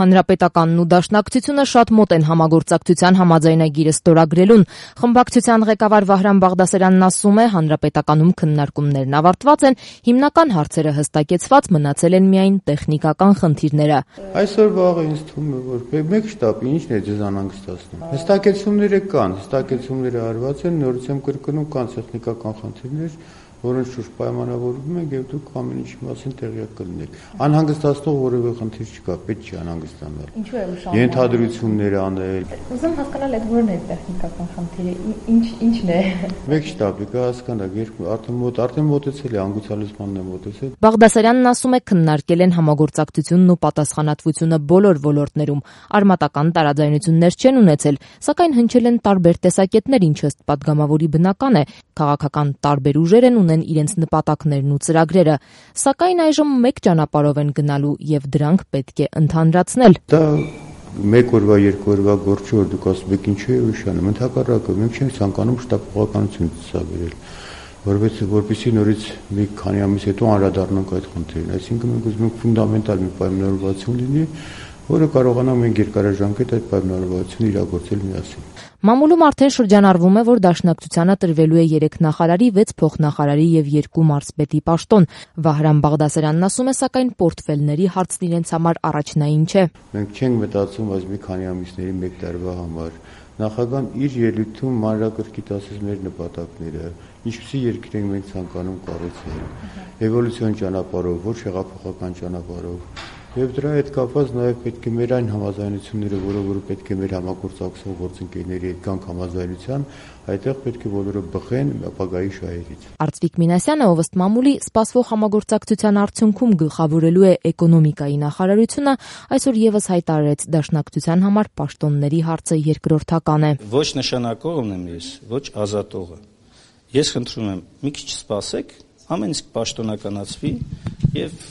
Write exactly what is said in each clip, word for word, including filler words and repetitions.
Հանրապետականն ու Դաշնակցությունը շատ մոտ են համագործակցության համաձայնագիրը ստորագրելուն։ Խմբակցության ղեկավար Վահրամ Բաղդասարյանն ասում է, հանրապետականում քննարկումներն ավարտված են, հիմնական հարցերը հստակեցված, մնացել են միայն տեխնիկական խնդիրները։ Այսօր վաղը ինձ թվում է, որ մեկ շտապի ինչն է ձեզ անհանգստացնում։ Հստակեցումները կան, հստակեցումները արված են, նորից եմ կրկնում, կան տեխնիկական խնդիրներ, որոնց շուրջ պայմանավորվում ենք եւ դուք ամեն ինչի մասին տեղյակ կլինեք։ Անհանգստացնող որևէ խնդիր չկա, պետք չի անհանգստանալ։ Ինչու է ուշանում։ Ենթադրություններ անել։ Ուզում հասկանալ այդ որն է տեխնիկական խնդիրը, ինչ ինչն է։ Մեկ շտապի կա հասկանալ, երկու արդեն մոտ արդեն մոտեցել է անգուցալեզմանն է մոտեցել։ Բաղդասարյանն ասում է, քննարկել են համագործակցությունն ու պատասխանատվությունը բոլոր ոլորտներում։ Արմատական տարաձայնություններ չեն ունեցել, սակայն հնչել են տարբեր տեսակետներ, ինչը ըստ падգամավորի բնական է։ Քաղաքական տարբեր ուժեր են ունեն իրենց նպատակներն ու ծրագրերը, սակայն այժմ մեկ ճանապարհով են գնալու եւ դրանք պետք է ընդհանրացնել։ Դա մեկ օրվա, երկու օրվա գործ չէ, որ դուք ասում եք ինչու է ուշանում, ընդհակառակը մենք չենք ցանկանում շտապողականություն ցուցաբերել, որովհետեւ որպեսզի նորից մի քանի ամիս հետո անդրադառնանք այդ խնդրին, այսինքն մենք ուզում ենք ֆունդամենտալ մի պայմանավորվածություն լինի, որը կարողանանք մենք երկարաժամկետ այդ պայմանավորվածությունը իրագործել միասին։ Մամուլում արդեն շրջանառվում է, որ Դաշնակցությանը տրվելու է երեք նախարարի, վեց փոխնախարարի եւ երկու մարզպետի պաշտոն։ Վահրամ Բաղդասարյանն ասում է, սակայն պորտֆելների հարցն իրենց համար առաջնային չէ։ Մենք չենք մտածում այս մի քանի ամիսների մեկ տարվա համար։ Նախագահան իր ելույթում մանրակրկիտ ասեց մեր նպատակները, ինչպիսի երկիր ենք մենք ցանկանում կառուցել, էվոլյուցիոն ճանապարհով, ոչ հեղափոխական ճանապարհով։ Եվ դրա հետ կապված նաև պետք է մեր այն համաձայնությունները, որը որը պետք է մեր համագործակցող գործընկերների հետ կան համաձայնության, այդտեղ պետք է բոլորը բխեն ապագայի շահերից։ Արծվիկ Մինասյանը, ով ըստ մամուլի սպասվող համագործակցության արդյունքում գլխավորելու է էկոնոմիկայի նախարարությունը, այսօր եւս հայտարարեց Դաշնակցության համար պաշտոնների հարցը երկրորդական է։ Ոչ նշանակողն եմ ես, ոչ ազատողը։ Ես խնդրում եմ, մի քիչ սպասեք, ամեն ինչ պաշտոնականացվի եւ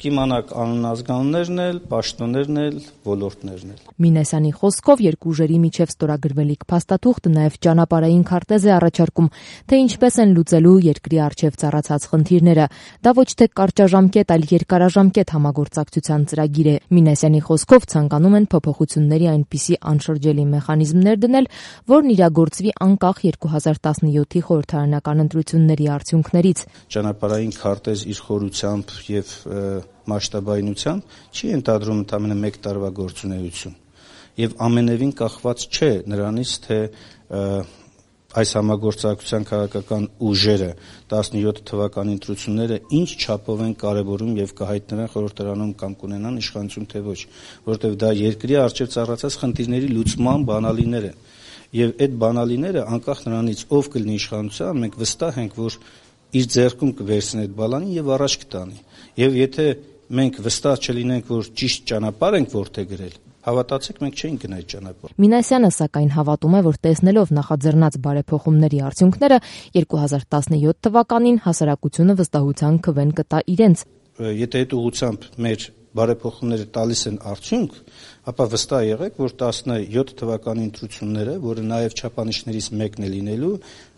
կիմանաք անազգաններն էլ, պաշտոններն էլ, ոլորտներն էլ։ Մինասյանի խոսքով երկու ուժերի միջև ստորագրվելիք փաստաթուղթը նաև ճանապարհային քարտեզ է առաջարկում, թե ինչպես են լուծելու երկրի առջև ծառացած խնդիրները։ Դա ոչ թե կարճաժամկետ, այլ երկարաժամկետ համագործակցության ծրագիր է։ Մինասյանի խոսքով ցանկանում են փոփոխությունների այնպիսի անշրջելի մեխանիզմներ դնել, որն իրագործվի անկախ երկու հազար տասնյոթի խորհրդարանական ընտրությունների արդյունքներից։ Ճանապարհային քարտեզ իր խորությամբ եւ մասշտաբայնությամբ չի ենթադրում ընդամենը մեկ տարվա գործունեություն եւ ամենևին կախված չէ նրանից, թե այս համագործակցության քաղաքական ուժերը տասնյոթ թվականի ընտրությունները ինչ չափով են կարևորում եւ կհայտնվեն խորհրդարանում կամ կունենան իշխանություն թե ոչ, որովհետեւ դա երկրի առջև ծառացած խնդիրների լուծման բանալիներ են եւ այդ բանալիները անկախ նրանից ով կլինի իշխանության, մենք վստահ ենք, որ իր ձեռքում կվերցնի այդ բալանին եւ առաջ կտանի։ Եվ եթե մենք վստահ չլինենք, որ ճիշտ ճանապարհ ենք որտեղ գրել, հավատացեք, մենք չենք գնա այդ ճանապարհ։ Մինասյանը սակայն հավատում է, որ տեսնելով նախաձեռնած բարեփոխումների արդյունքները երկու հազար տասնյոթ թվականին հասարակությունը վստահության քվեն կտա իրենց։ Եթե այդ ուղղությամբ մեր բարեփոխումները տալիս են արդյունք, ապա վստահ եղեք, որ տասնյոթ թվականի ընտրությունները, որը նաև չափանիշներից մեկն է լինելու,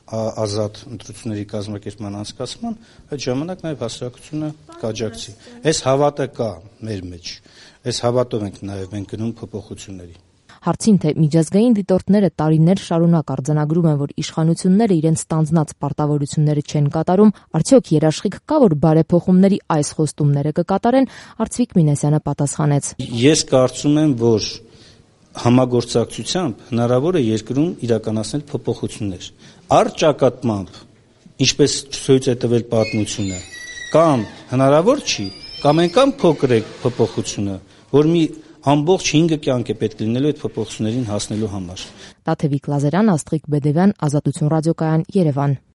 ազատ ընտրությունների կազմակերպման անցկացման, այդ ժամանակ նաև հասարակությունը կաջակցի։ Այս հավատը կա մեր մեջ, այս հավատով ենք նաև մենք գնում փոփոխությունների։ Հարցին, թե միջազգային դիտորդները տարիներ շարունակ արձանագրում են, որ իշխանությունները իրենց ստանձնած պարտավորությունները չեն կատարում, արդյոք երաշխիք կա, որ բարեփոխումների այս խոստումները կկատարեն, Արծվիկ Մինասյանը պատասխանեց. Ես կարծում եմ, որ համագործակցությամբ հնարավոր է երկրում իրականացնել փոփոխություններ։ Առճակատմամբ, ինչպես ցույց է տվել պատմությունը, կամ հնարավոր չի, կամ այնքան փոքր է փոփոխությունը, որ մի ամբողջ հինգ կյանք է պետք լինելու այդ փոփոխություններին հասնելու համար։ Տաթևիկ Լազարյան, Աստղիկ Բեդևյան, Ազատություն ռադիոկայան, Երևան։